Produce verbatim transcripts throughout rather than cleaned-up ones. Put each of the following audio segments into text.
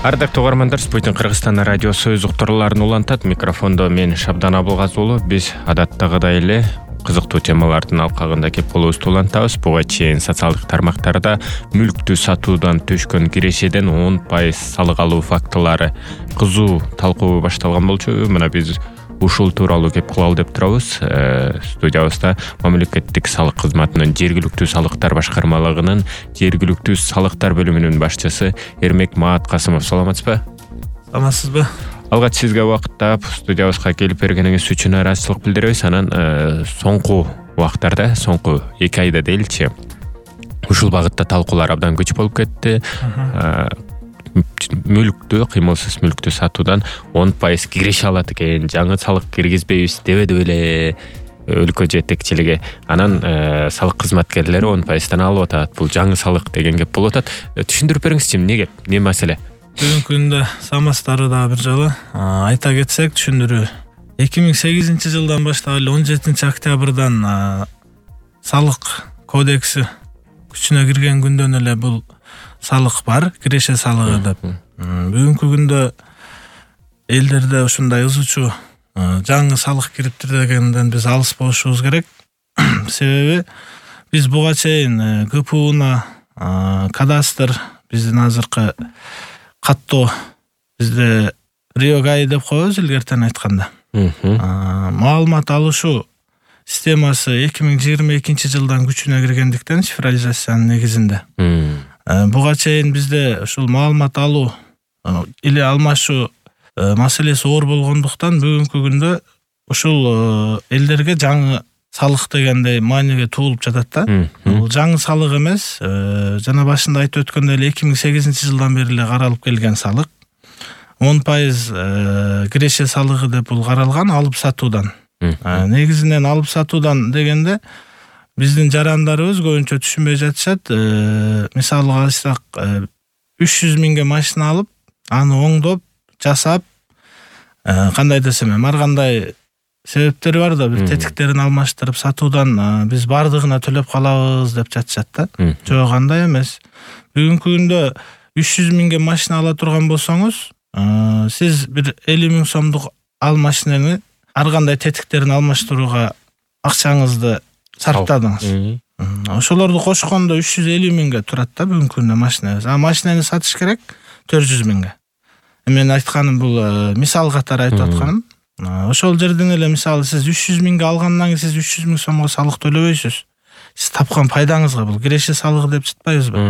Ардактуу угармандар, Спутник Кыргызстан радиосу өз уктурууларын улантат. Микрофондо мен Шабдан Абылгазы уулу. Биз адаттагыдай эле кызыктуу темалардын алкагында кеп болуубузду улантабыз. Буга чейин социалдык тармактарда мүлктү сатуудан төшкөн кирешеден он пайыз салык алуу фактылары кызуу талкуу башталган болчу. Мына биз ушул тууралуу кеп кылалы деп турабыз. Студиябызда мамлекеттик салык кызматынын жергиликтүү салыктар башкармалыгынын жергиликтүү салыктар бөлүмүнүн башчысы Эрмек Мааткасымов. Саламатсызбы? Саламатсызбы? Алгач сизге убакыт таап студиябызга келип бергениңиз үчүн ыраазычылык билдиребиз. Анан соңку убактарда, соңку эки айда дейли, ушул багытта талкуулар абдан көч болуп кетти. Мүлктү, кыймылсыз мүлктү сатуудан он пайыз киреше алат экен, жаңы салык киргизбейбиз дебеди беле өлкө жетекчилиги. Анан салык кызматкерлери он пайыздан алып атат. Бул жаңы салык деген кеп болуп атат. Түшүндүрүп бериңизчи, эмне кеп, эмне маселе? Бүгүнкү күндө саламатсыздарбы дагы бир жолу. Айта кетсек, түшүндүрүү. эки миң сегизинчи жылдан баштап эле он жетинчи октябрдан салык кодекси күчүнө кирген күндөн эле бул салык бар, киреше салыгы деп. Бүгүнкү күндө элдерде ушундай ызычуу жаңы салык кириптир дегенден биз алыс болушубуз керек. Себеби биз буга чейин КПУна, кадастр, биздин азыркы каттоо, бизде РИОГАИ деп коебуз илгертен айтканда. Маалымат алышуу системасы эки миң жыйырма экинчи жылдан күчүнө киргендиктен, цифрализациянын негизинде. Буга чейин бизде ушул маалымат алуу или алмашуу маселеси оор болгондуктан бүгүнкү күндө ушул элдерге жаңы салык дегендей мааниге туулуп жатат да. Бул жаңы салык эмес, жана башында айтып өткөндөй эле эки миң сегизинчи жылдан бери эле каралып келген салык. он пайыз киреше салыгы деп бул каралган алып сатуудан. Негизинен алып сатуудан дегенде биздин жарандарыбыз көбүнчө түшүнбөй жатышат. Мисалга алсак, үч жүз миңге машина алып, аны оңдоп, жасап, кандай десем, ар кандай себептери бар да, бир тетиктерин алмаштырып сатуудан биз бардыгына төлөп калабыз деп жатышат да. Жок, андай эмес. Бүгүнкү күндө үч жүз миңге машина ала турган болсоңуз, сиз бир элүү миң сомдук ал машинени ар кандай тетиктерин алмаштырууга акчаңызды сарптадыңыз. Ошолорду кошкондо үч жүз элүү миңге турат да бүгүнкү күндө машина. А машинени сатыш керек төрт жүз миңге. Мен айтканым бул мисал катары айтып атканым. Ошол жерден эле мисалы сиз үч жүз миңге алгандан кийин сиз үч жүз миң сомго салык төлөбөйсүз. Сиз тапкан пайдаңызга бул киреше салыгы деп жатпайбызбы?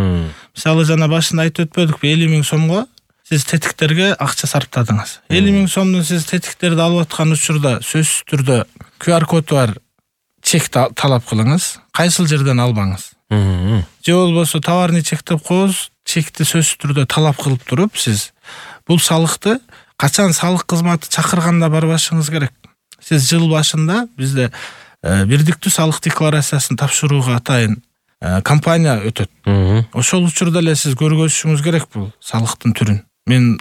Мисалы жана башында айтып өтпөдүкпү, элүү миң сомго сиз тетиктерге акча сарптадыңыз. элүү миң сомдон сиз тетиктерди алып аткан учурда сөзсүз түрдө ку ар коду бар чек талап кылыңыз, кайсыл жерден албаңыз. Же болбосо товарный чек деп коебуз, чекти сөзсүз түрдө талап кылып туруп, сиз бул салыкты качан салык кызматы чакырганда барбашыңыз керек. Сиз жыл башында бизде бирдиктүү салык декларациясын тапшырууга атайын компания өтөт. Ошол учурда эле сиз көргөзүшүңүз керек бул салыктын түрүн. Мен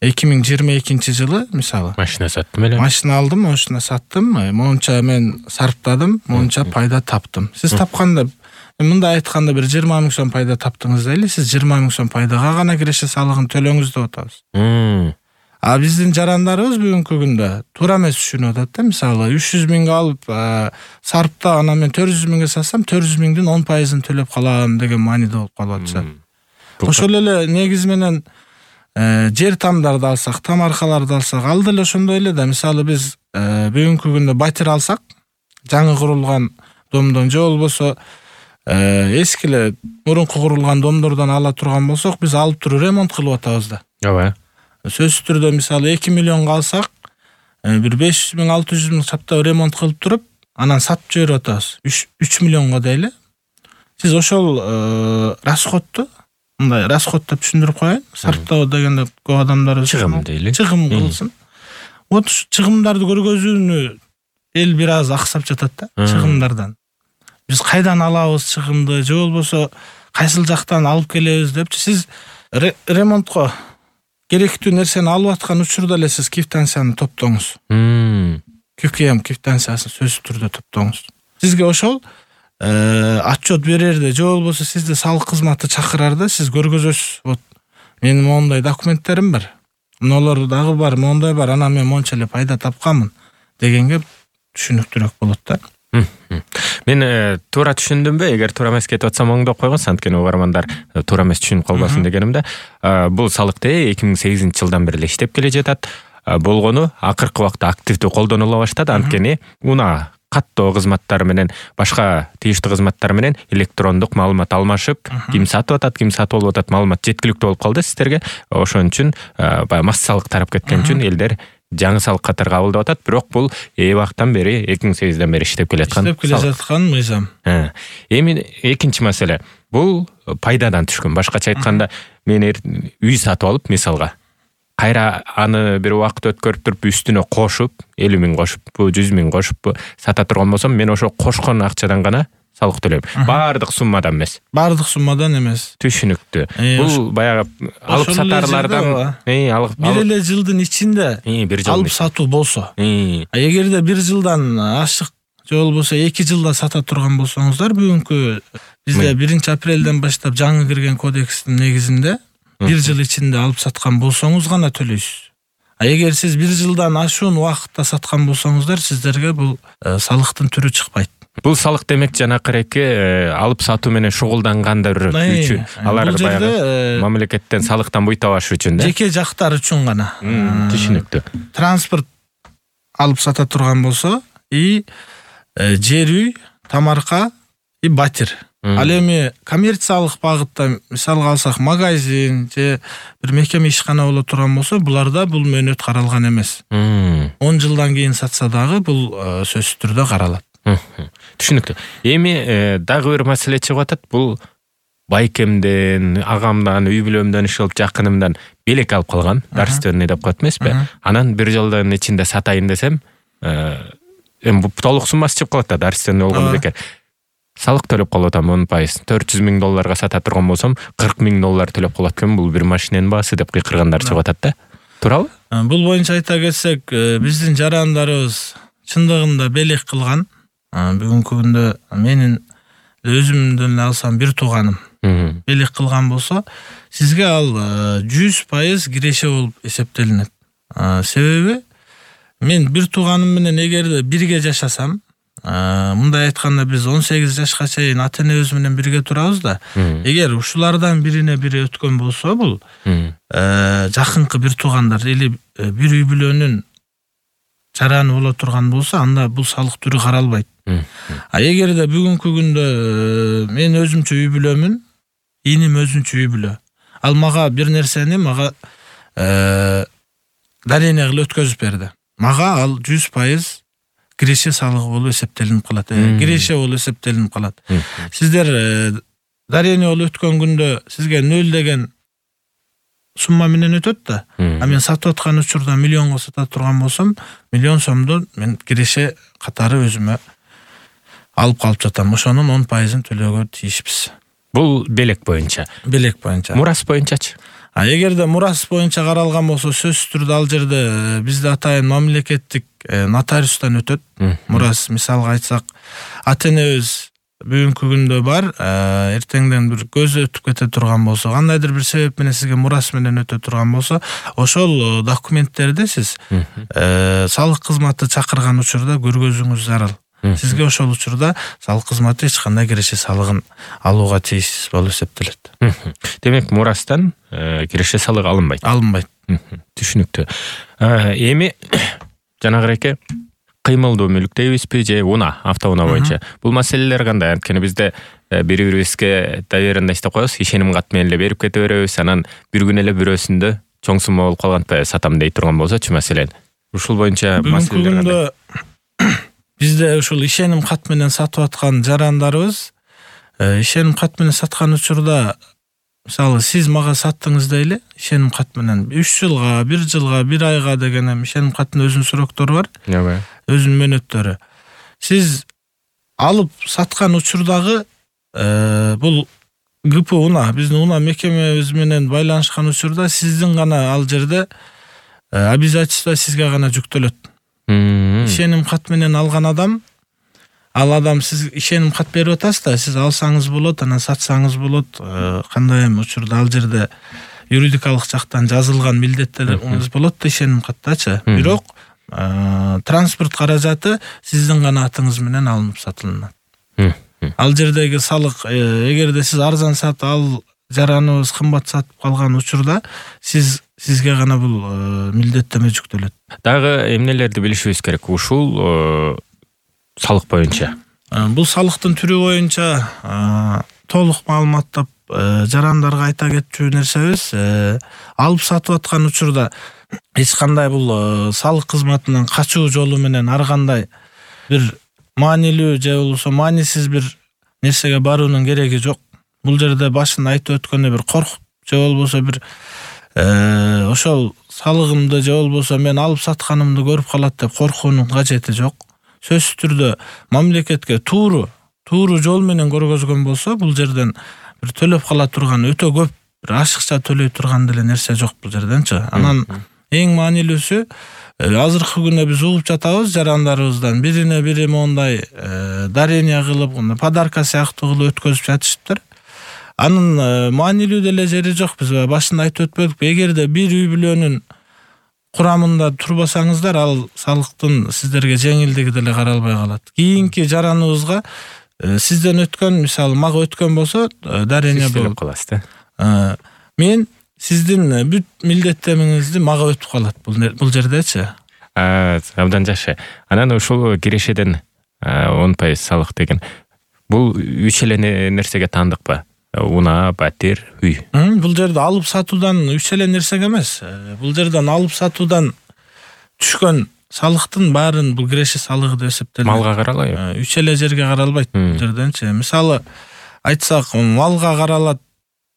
эки миң жыйырма экинчи жылы мисалы машина саттым эле. Машина алдым, машина саттым, монча мен сарптадым, монча пайда таптым. Сиз тапканда, мындай айтканда бир жыйырма миң сом пайда таптыңыз дейли, сиз жыйырма миң сом пайдага гана киреше салыгын төлөңүз деп атабыз. А биздин жарандарыбыз бүгүнкү күндө туура эмес түшүнүп атат да. Мисалы үч жүз миңге алып сарптап, анан мен төрт жүз миңге сатсам, төрт жүз миңдин он пайызын төлөп калам деген мааниде болуп калып атышат. Ошол эле негизи менен жер тамдарды алсак, тамаркаларды алсак, ал деле ошондой эле да. Мисалы биз бүгүнкү күндө батир алсак, жаңы курулган домдон же болбосо эски эле мурунку курулган домдордон ала турган болсок, биз алып туруп ремонт кылып атабыз да. Ооба. Сөзсүз түрдө мисалы эки миллионго алсак, бир беш жүз миң, алты жүз миң саптап ремонт кылып туруп, анан сатып жиберип атабыз үч миллионго дейли. Сиз ошол расходту, мындай расход деп түшүндүрүп коеюн. Сарптоо дегенде көп адамдар чыгым дейли. Чыгым кылсын. Вот чыгымдарды көргөзүүнү эл бир аз аксап жатат да, чыгымдардан. Биз кайдан алабыз чыгымды, же болбосо кайсыл жактан алып келебиз депчи. Сиз ремонтко керектүү нерсени алып аткан учурда эле сиз квитанцияны топтоңуз. ку ка эм квитанциясын сөзсүз түрдө топтоңуз. Сизге ошол отчет берерде, же болбосо сизди салык кызматы чакырарда сиз көргөзөсүз. Вот Менин моундай документтерим бар. Монолор дагы бар, моундай бар. Анан мен монча эле пайда тапканмын дегенге түшүнүктүүрөөк болот да. Мен туура түшүндүмбү? Эгер туура эмес кетип атсам оңдоп койгонсуң, анткени угармандар туура эмес түшүнүп калбасын дегенимде. Бул салыкты эки миң сегизинчи жылдан бери эле иштеп келе жатат. Болгону акыркы убакта активдүү колдонула баштады, анткени унаа каттоо кызматтары менен башка тийиштүү кызматтар менен электрондук маалымат алмашып, ким сатып атат, ким сатып алып атат маалымат жеткиликтүү болуп калды сиздерге. Ошон үчүн баягы массалык тарап кеткен үчүн элдер жаңы салык катары кабылдап атат. Бирок бул эбактан бери эки миң сегизден бери иштеп келаткан. Иштеп келе жаткан мыйзам. Эми экинчи маселе. Бул пайдадан түшкөн. Башкача айтканда, мен үй сатып алып, мисалга, кайра аны бир убакыт өткөрүп туруп үстүнө кошуп, элүү миң кошуп, жүз миң кошуп сата турган болсом, мен ошо кошкон акчадан гана салык төлөйм. Баардык суммадан эмес. Баардык суммадан эмес. Түшүнүктүү. Бул баягы алып сатарлардан бир эле жылдын ичинде алып сатуу болсо, эгерде бир жылдан ашык же болбосо эки жылда сата турган болсоңуздар, бүгүнкү бизде биринчи апрелден баштап жаңы кирген кодекстин негизинде бир жыл ичинде алып саткан болсоңуз гана төлөйсүз. А эгер сиз бир жылдан ашуун убакытта саткан болсоңуздар, сиздерге бул салыктын түрү чыкпайт. Бул салык демек жанакыреки алып сатуу менен шугулдангандар үчүн, алар баягы мамлекеттен салыктан буй табаш үчүн да. Жеке жактар үчүн гана. Түшүнүктүү. Транспорт алып сата турган болсо, и жер үй, тамарка и батир. Ал эми коммерциялык багытта мисалга алсак, магазин же бир мекеме ишкана боло турган болсо, буларда бул мөөнөт каралган эмес. он жылдан кийин сатса дагы бул сөзсүз түрдө каралат. Түшүнүктүү. Эми дагы бир маселе чыгып атат. Бул байкемден, агамдан, үй бүлөмдөн, иши жакынымдан белек алып калган, дарственный деп коет эмеспи? Анан бир жылдын ичинде сатайын десем, эми бул толук суммасы чыгып калат да, дарственный болгон бекер. Салык төлөп калып атам он пайыз. төрт жүз миң долларга сата турган болсом, кырк миң доллар төлөп калат экен. Бул бир машиненин баасы деп кыйкыргандар чыгып атат да. Туурабы? Бул боюнча айта кетсек, биздин жарандарыбыз чындыгында белек кылган. Бүгүнкү күндө менин өзүмдөн алсам бир тууганым белек кылган болсо, сизге ал жүз пайыз киреше болуп эсептелинет. Себеби мен бир тууганым менен эгерде бирге жашасам, мындай айтканда биз он сегиз жашка чейин ата энебиз менен бирге турабыз да. Эгер ушулардан бирине бири өткөн болсо, бул жакынкы бир туугандар или бир үй бүлөнүн жараны боло турган болсо, анда бул салык түрү каралбайт. А эгерде бүгүнкү күндө мен өзүмчө үй бүлөмүн, иним өзүнчө үй бүлө. Ал мага бир нерсени мага дарение кылып өткөзүп берди. Мага ал жүз пайыз киреше салыгы болуп эсептелинип калат. Киреше болуп эсептелинип калат. Сиздер дарение болуп өткөн күндө сизге нөл деген сумма менен өтөт да. А мен сатып аткан учурда миллионго сата турган болсом, миллион сомду мен киреше катары өзүмө алып калып жатам. Ошонун он пайызын төлөөгө тийишпиз. Бул белек боюнча. Белек боюнча. Мурас боюнчачы? А эгерде мурас боюнча каралган болсо, сөзсүз түрдө ал жерде бизде атайын мамлекеттик нотариустан өтөт. Мурас, мисалга айтсак, ата энебиз бүгүнкү күндө бар, эртеңден бир көзү өтүп кете турган болсо, кандайдыр бир себеп менен сизге мурас менен өтө турган болсо, ошол документтерди сиз салык кызматы чакырган учурда көргөзүүңүз зарыл. Сизге ошол учурда салык кызматы эч кандай киреше салыгын алууга тийиштүү болуп эсептелет. Демек, мурастан киреше салыгы алынбайт. Алынбайт. Түшүнүктүү. Эми жанагыреке кыймылдуу мүлк дейбизби же уна, автоунаа боюнча. Бул маселелер кандай? Анткени бизде бири-бирибизге доверенно иштеп коебуз, ишеним кат менен эле берип кете беребиз, анан бир күн эле бирөөсүндө чоң сумма болуп калган сатам дей турган болсочу маселен. Ушул боюнча маселелер кандай? Бизде ушул ишеним кат менен сатып аткан жарандарыбыз, ишеним кат менен саткан учурда, мисалы, сиз мага саттыңыз дейли, ишеним кат менен үч жылга, бир жылга, бир айга деген ишеним каттын өзүнүн сроктору бар. Ооба. Өзүнүн мөөнөттөрү. Сиз алып саткан учурдагы бул гэ пэ уна, биздин уна мекемебиз менен байланышкан учурда сиздин гана ал жерде обязательство сизге гана жүктөлөт. Ишеним кат менен алган адам, ал адам сиз ишеним кат берип атасыз да, сиз алсаңыз болот, анан сатсаңыз болот, кандай эми учурда ал жерде юридикалык жактан жазылган милдеттериңиз болот да ишеним каттачы. Бирок транспорт каражаты сиздин гана атыңыз менен алынып сатылынат. Ал жердеги салык, эгерде сиз арзан сатып ал жараныбыз кымбат сатып калган учурда сиз сизге гана бул милдеттеме жүктөлөт. Дагы эмнелерди билишибиз керек ушул салык боюнча? Бул салыктын түрү боюнча толук маалыматтап жарандарга айта кетчү нерсебиз, алып сатып аткан учурда эч кандай бул салык кызматынан качуу жолу менен ар кандай бир маанилүү же болбосо маанисиз бир нерсеге баруунун кереги жок. Бул жерде башында айтып өткөндөй бир коркуп же болбосо бир ошол салыгымды же болбосо мен алып сатканымды көрүп калат деп коркуунун кажети жок. Сөзсүз түрдө мамлекетке тууру тууру жол менен көргөзгөн болсо бул жерден бир төлөп кала турган өтө көп бир ашыкча төлөй турган деле нерсе жок бул жерденчи. Анан эң маанилүүсү азыркы күндө биз угуп жатабыз жарандарыбыздан бирине бири мондай дарение кылып, подарка сыяктуу кылып өткөзүп жатышыптыр. Анын маанилүү деле жери жок. Биз башында айтып өтпөдүкпү? Эгерде бир үй бүлөнүн курамында турбасаңыздар, ал салыктын сиздерге жеңилдиги деле каралбай калат. Кийинки жараныбызга сизден өткөн, мисалы мага өткөн болсо, дарение болуп каласыз да. Мен сиздин бүт милдеттемеңизди мага өтүп калат бул жердечи. Абдан жакшы. Анан ушул кирешеден он пайыз салык деген бул үч эле нерсеге таандыкпы? Унаа, батир, үй. Бул жерде алып сатуудан үч эле нерсеге эмес. Бул жерден алып сатуудан түшкөн салыктын баарын бул киреше салыгы деп эсептелет. Малга каралайбы? Үч эле жерге каралбайт бул жерденчи. Мисалы айтсак, малга каралат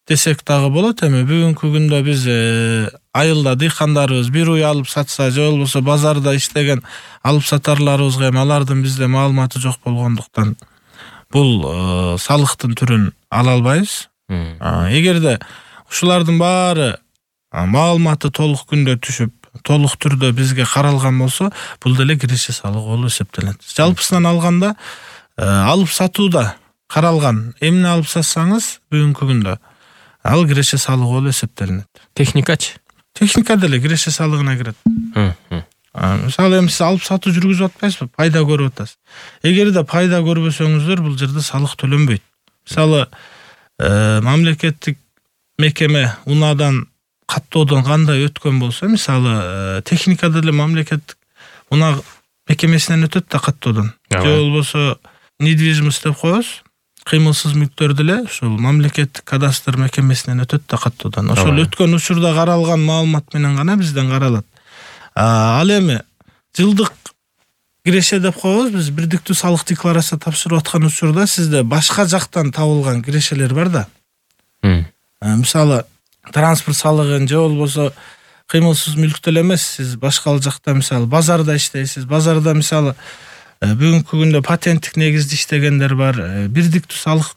десек дагы болот. Эми бүгүнкү күндө биз айылда дыйкандарыбыз бир уй алып сатса же болбосо базарда иштеген алып сатарларыбызга эми алардын бизде маалыматы жок болгондуктан бул салыктын түрүн ала албайбыз. Эгерде ушулардын баары маалыматы толук күндө түшүп, толук түрдө бизге каралган болсо, бул деле киреше салыгы болуп эсептелет. Жалпысынан алганда алып сатууда каралган эмне алып сатсаңыз бүгүнкү күндө ал киреше салыгы болуп эсептелинет. Техникачы? Техника деле киреше салыгына кирет. Мисалы эми сиз алып сатуу жүргүзүп атпайсызбы? Пайда көрүп атасыз. Эгерде пайда көрбөсөңүздөр, бул жерде салык төлөнбөйт. Мисалы мамлекеттик мекеме унаадан каттоодон кандай өткөн болсо, мисалы техника деле мамлекеттик унаа мекемесинен өтөт да каттоодон. Же болбосо недвижимость деп коебуз. Кыймылсыз мүлктөр деле ушул мамлекеттик кадастр мекемесинен өтөт да каттоодон. Ошол өткөн учурда каралган маалымат менен гана бизден каралат. Ал эми жылдык киреше деп коебуз. Биз бирдиктүү салык декларация тапшырып аткан учурда сизде башка жактан табылган кирешелер бар да. Мисалы транспорт салыгын же болбосо кыймылсыз мүлк деле эмес, сиз башка жакта мисалы базарда иштейсиз. Базарда мисалы бүгүнкү күндө патенттик негизде иштегендер бар, бирдиктүү салык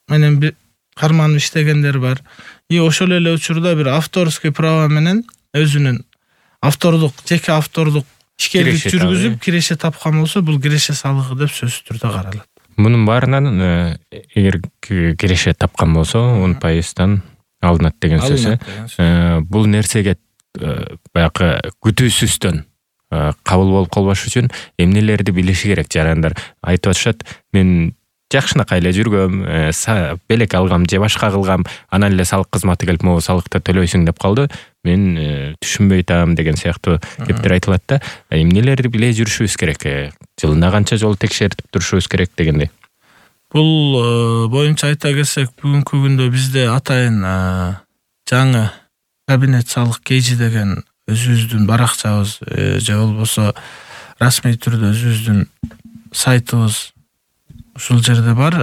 менен карманып иштегендер бар. И ошол эле учурда бир авторский право менен өзүнүн автордук, жеке автордук ишкерлик жүргүзүп киреше тапкан болсо, бул киреше салыгы деп сөзсүз түрдө каралат. Мунун баарынан эгер киреше тапкан болсо, он пайыздан алынат деген сөз. Бул нерсеге баягы күтүүсүздөн кабыл болуп калбаш үчүн эмнелерди билиши керек жарандар? Айтып атышат, мен жакшынакай эле жүргөм, белек алгам же башка кылгам, анан эле салык кызматы келип могу салыкты төлөйсүң деп калды. Мен түшүнбөй атам деген сыяктуу кептер айтылат да. Эмнелерди биле жүрүшүбүз керек? Жылына канча жолу текшертип турушубуз керек дегендей. Бул боюнча айта келсек, бүгүнкү күндө бизде атайын жаңы кабинет салык кейжи деген өзүбүздүн баракчабыз же болбосо расмий түрдө өзүбүздүн сайтыбыз ушул жерде бар.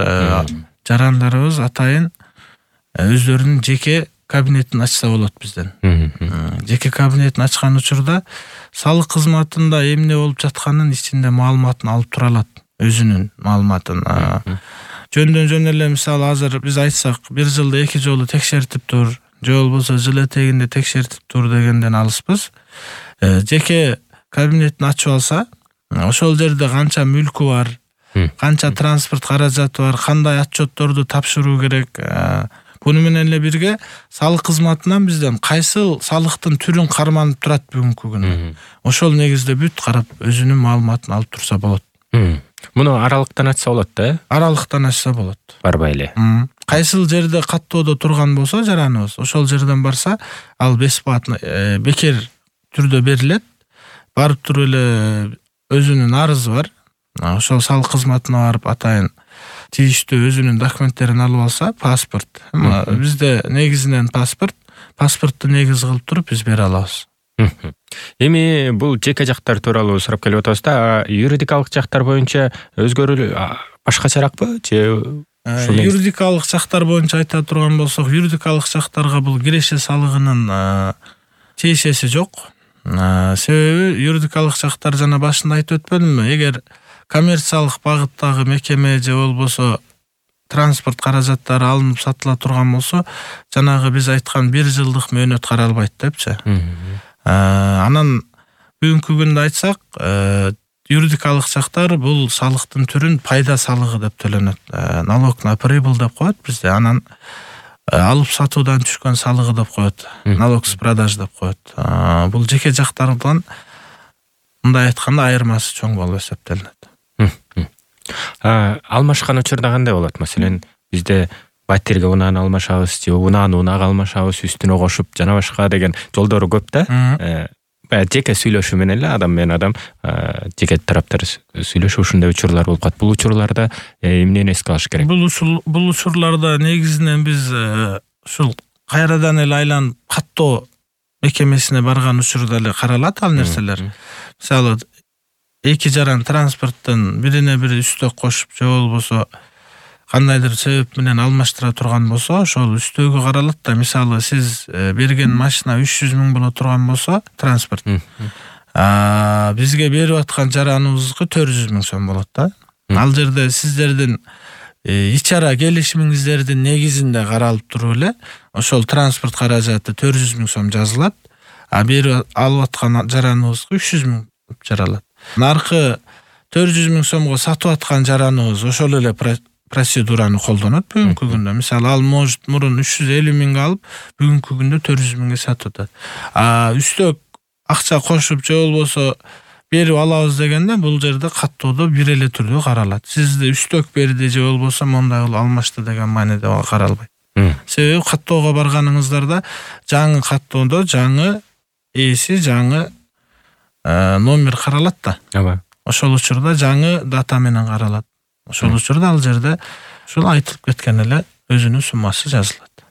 Жарандарыбыз атайын өздөрүнүн жеке кабинетин ачса болот бизден. Жеке кабинетин ачкан учурда салык кызматында эмне болуп жатканын ичинде маалыматын алып тура алат, өзүнүн маалыматын. Жөндөн жөн эле мисалы азыр биз айтсак, бир жылда эки жолу текшертип тур, же болбосо жыл этегинде текшертип тур дегенден алыспыз. Жеке кабинетин ачып алса, ошол жерде канча мүлкү бар, канча транспорт каражаты бар, кандай отчетторду тапшыруу керек, буну менен эле бирге салык кызматынан бизден кайсы салыктын түрүн карманып турат бүгүнкү күндө. Ошол негизде бүт карап өзүнүн маалыматын алып турса болот. Муну аралыктан ачса болот да? Аралыктан ачса болот. Барбай эле. Кайсыл жерде каттоодо турган болсо жараныбыз, ошол жерден барса, ал бесплатно бекер түрдө берилет. Барып туруп эле өзүнүн арызы бар. Ошол салык кызматына барып атайын тийиштүү өзүнүн документтерин алып алса, паспорт. Бизде негизинен паспорт, паспортту негиз кылып туруп биз бере алабыз. Эми бул жеке жактар тууралуу сурап келип атабыз да, юридикалык жактар боюнча өзгөрүү башкачаракпы же? Юридикалык жактар боюнча айта турган болсок, юридикалык жактарга бул киреше салыгынын тиешеси жок. Себеби юридикалык жактар жана башында айтып өтпөдүмбү? Эгер коммерциялык багыттагы мекеме же болбосо транспорт каражаттары алынып сатыла турган болсо, жанагы биз айткан бир жылдык мөөнөт каралбайт депчи. Анан бүгүнкү күндө айтсак, юридикалык жактар бул салыктын түрүн пайда салыгы деп төлөнөт. Налог на прибыль деп коет бизде. Анан алып сатуудан түшкөн салыгы деп коет. Налог с продаж деп коет. Бул жеке жактардан мындай айтканда айырмасы чоң болуп эсептелинет. Алмашкан учурда кандай болот? Маселен, бизде батирге унааны алмашабыз, же унааны унага алмашабыз, үстүнө кошуп жана башка деген жолдору көп да. Баягы жеке сүйлөшүү менен эле адам менен адам, жеке тараптар сүйлөшүп ушундай учурлар болуп калат. Бул учурларда эмнени эске алыш керек? Бул бул учурларда негизинен биз ушул кайрадан эле айланып каттоо мекемесине барган учурда эле каралат ал нерселер. Мисалы, эки жаран транспорттун бирине бири үстөк кошуп же болбосо кандайдыр себеп менен алмаштыра турган болсо, ошол үстөгү каралат да. Мисалы, сиз берген машина үч жүз миң боло турган болсо, транспорт. Бизге берип аткан жараныбызга төрт жүз миң сом болот да. Ал жерде сиздердин ичара келишимиңиздердин негизинде каралып туруп эле ошол транспорт каражаты төрт жүз миң сом жазылат. А берип алып аткан жараныбызга үч жүз миң жаралат. Наркы төрт жүз миң сомго сатып аткан жараныбыз ошол эле процедураны колдонот бүгүнкү күндө. Мисалы, ал может мурун үч жүз элүү миңге алып, бүгүнкү күндө төрт жүз миңге сатып атат. А үстөк акча кошуп же болбосо берип алабыз дегенде бул жерде каттоодо бир эле түрдө каралат. Сизди үстөк берди же болбосо мондай кылып алмашты деген мааниде каралбайт. Себеби каттоого барганыңыздарда жаңы каттоодо жаңы ээси, жаңы номер каралат да. Ооба. Ошол учурда жаңы дата менен каралат. Ошол учурда ал жерде ушул айтылып кеткен эле өзүнүн суммасы жазылат.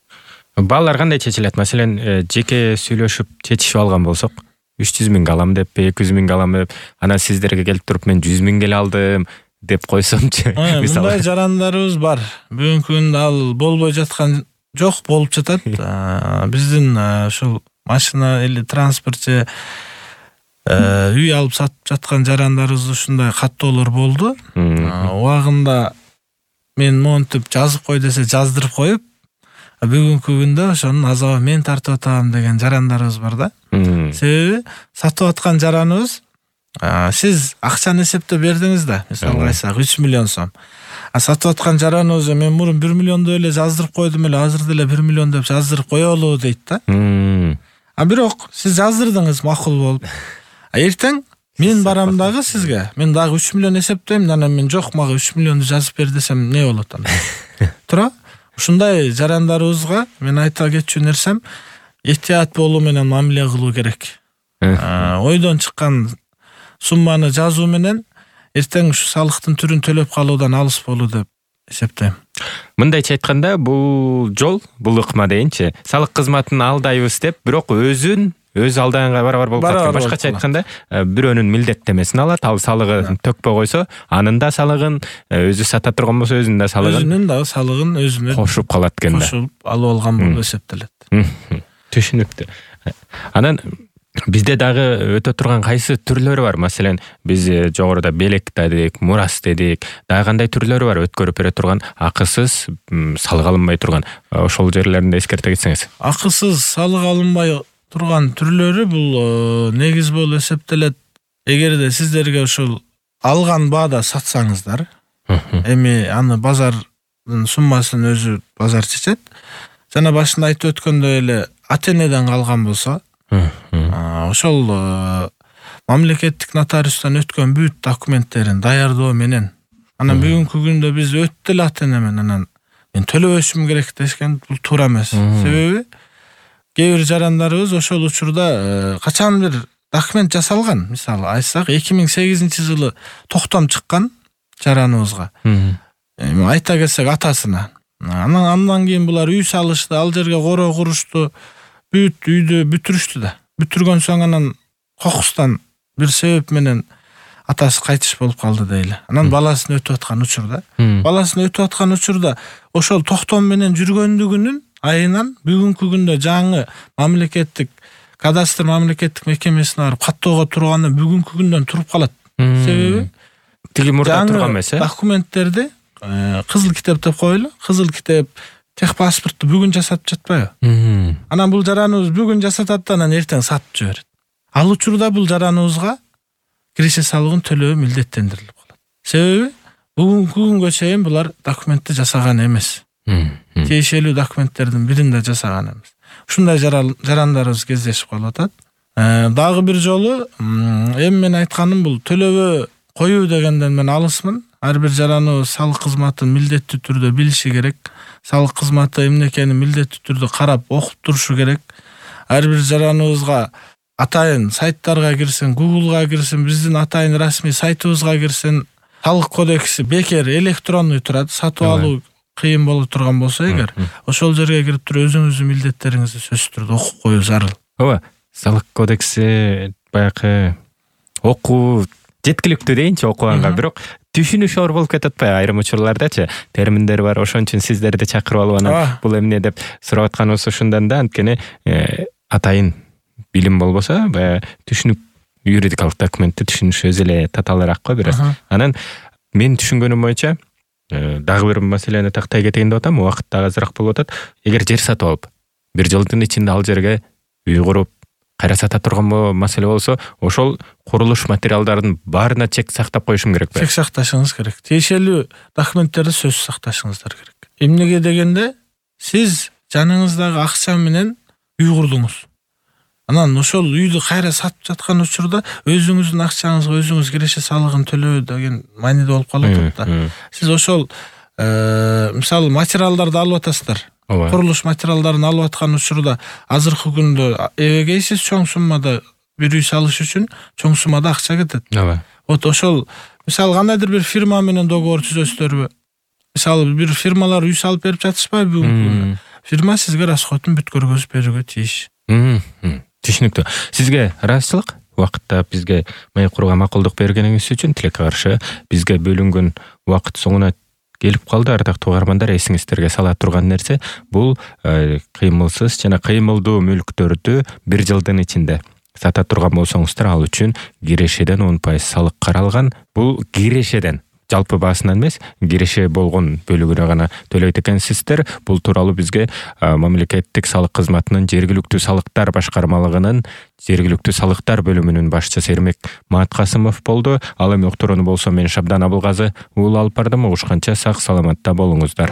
Баалар кандай чечилет? Маселен, жеке сүйлөшүп чечишип алган болсок, үч жүз миңге алам деп, эки жүз миңге алам деп, анан сиздерге келип туруп мен жүз миңге эле алдым деп койсомчу. Мындай жарандарыбыз бар. Бүгүнкү күндө ал болбой жаткан жок, болуп жатат. Биздин ушул машина или транспорт же үй алып сатып жаткан жарандарыбыз ушундай каттоолор болду. Убагында мен монтип жазып кой десе жаздырып коюп, бүгүнкү күндө ошонун азабы мен тартып атам деген жарандарыбыз бар да. Себеби сатып аткан жараныбыз, сиз акчаны эсептеп бердиңиз да, мисалга айтсак үч миллион сом. А сатып аткан жараныбыз мен мурун бир миллионду эле жаздырып койдум эле, азыр деле бир миллион деп жаздырып коелу дейт да. А бирок сиз жаздырдыңыз макул болуп. А эртең мен барам дагы сизге, мен дагы үч миллион эсептейм, анан мен жок, мага үч миллионду жазып бер десем не болот анда? Тура? Ушундай жарандарыбызга мен айта кетчү нерсем, этият болуу менен мамиле кылуу керек. Ойдон чыккан сумманы жазуу менен эртең ушу салыктын түрүн төлөп калуудан алыс болуу деп эсептейм. Мындайча айтканда, бул жол, бул ыкма дейинчи, салык кызматын алдайбыз деп, бирок өзүн өз алдаганга барабар болуп калат. Башкача айтканда, бирөөнүн милдеттемесин алат, ал салыгын төкпөй койсо, анын да салыгын, өзү сата турган болсо өзүнүн да салыгын, өзүнүн да салыгын өзүнө кошуп калат экен да. Кошуп алып алган болуп эсептелет. Түшүнүктүү. Анан бизде дагы өтө турган кайсы түрлөрү бар? Маселен, биз жогоруда белек дедик, мурас дедик, дагы кандай түрлөрү бар өткөрүп бере турган, акысыз салык алынбай турган? Ошол жерлеринде эскерте кетсеңиз. Акысыз салык алынбай турган түрлөрү бул негиз болуп эсептелет. Эгерде сиздерге ушул алган баада сатсаңыздар, эми аны базардын суммасын өзү базар чечет. жана башында айтып өткөндөй эле ата энеден калган болсо, ошол мамлекеттик нотариустан өткөн бүт документтерин даярдоо менен анан бүгүнкү күндө биз өтө эле ата энемен анан мен төлөбөшүм керек дешкен, бул туура эмес. Себеби кээ бир жарандарыбыз ошол учурда качан бир документ жасалган. Мисалы айтсак, эки миң сегизинчи жылы токтом чыккан жараныбызга. Айта кетсек атасына. Анан андан кийин булар үй салышты, ал жерге коро курушту, бүт үйдү бүтүрүштү да. Бүтүргөн соң анан кокустан бир себеп менен атасы кайтыш болуп калды дейли. Анан баласын өтүп аткан учурда, баласын өтүп аткан учурда ошол токтом менен жүргөндүгүнүн айынан бүгүнкү күндө жаңы мамлекеттик кадастр мамлекеттик мекемесине барып каттоого турганы бүгүнкү күндөн туруп калат. Себеби тиги мурда турган эмес, э? Документтерди кызыл китеп деп коелу. Кызыл китеп техпаспортту бүгүн жасатып жатпайбы? Анан бул жараныбыз бүгүн жасатат да анан эртең сатып жиберет. Ал учурда бул жараныбызга киреше салыгын төлөө милдеттендирилип калат. Себеби бүгүнкү күнгө чейин булар документти жасаган эмес. Тиешелүү документтердин бирин да жасаган эмес. Ушундай жарандарыбыз кездешип калып атат. Дагы бир жолу эми мен айтканым бул төлөбө коюу дегенден мен алысмын. Ар бир жараныбыз салык кызматын милдеттүү түрдө билиши керек. Салык кызматы эмне экенин милдеттүү түрдө карап окуп турушу керек. Ар бир жараныбызга атайын сайттарга кирсин, Google'га кирсин, биздин атайын расмий сайтыбызга кирсин. Салык кодекси бекер электронный турат, сатып алуу кыйын боло турган болсо эгер, ошол жерге кирип туруп өзүңүздүн милдеттериңизди сөзсүз түрдө окуп коюу зарыл. Ооба, салык кодекси баягы окуу жеткиликтүү дейинчи окуганга, бирок түшүнүш оор болуп кетип атпайбы айрым учурлардачы? Терминдер бар, ошон үчүн сиздерди чакырып алып анан бул эмне деп сурап атканыбыз ошондон да, анткени атайын билим болбосо, баягы түшүнүп юридикалык документти түшүнүш өзү эле татаалыраак го бир аз. Анан мен түшүнгөнүм боюнча дагы бир маселени тактай кетейин деп атам, убакыт дагы азыраак болуп атат. Эгер жер сатып алып, бир жылдын ичинде ал жерге үй куруп, кайра сата турган маселе болсо, ошол курулуш материалдардын баарына чек сактап коюшум керекпи? Чек сакташыңыз керек. Тиешелүү документтерди сөзсүз сакташыңыздар керек. Эмнеге дегенде, сиз жаныңыздагы акча менен үй курдуңуз. Анан ошол үйдү кайра сатып жаткан учурда өзүңүздүн акчаңызга өзүңүз киреше салыгын төлөө деген мааниде болуп калат да. Сиз ошол мисалы материалдарды алып атасыздар. Курулуш материалдарын алып аткан учурда азыркы күндө эбегейсиз чоң суммада бир үй салыш үчүн чоң суммада акча кетет. Вот ошол мисалы кандайдыр бир фирма менен договор түзөсүздарбы? Мисалы бир фирмалар үй салып берип жатышпайбы бүгүнкү күндө? Фирма сизге расходун бүт көргөзүп берүүгө тийиш. Түшүнүктүү. Сизге ыраазычылык убакытта бизге маек курууга макулдук бергениңиз үчүн тилекке каршы. Бизге бөлүнгөн убакыт соңуна келип калды. Ардактуу угармандар, эсиңиздерге сала турган нерсе бул кыймылсыз жана кыймылдуу мүлктөрдү бир жылдын ичинде сата турган болсоңуздар, ал үчүн кирешеден он пайыз салык каралган. Бул кирешеден, жалпы баасынан эмес, киреше болгон бөлүгүнө гана төлөйт экенсиздер. Бул тууралуу бизге мамлекеттик салык кызматынын жергиликтүү салыктар башкармалыгынын жергиликтүү салыктар бөлүмүнүн башчысы Эрмек Мааткасымов болду. Ал эми уктурууну болсо мен Шабдан Абылгазы уул алып бардым. Угушканча сак саламатта болуңуздар.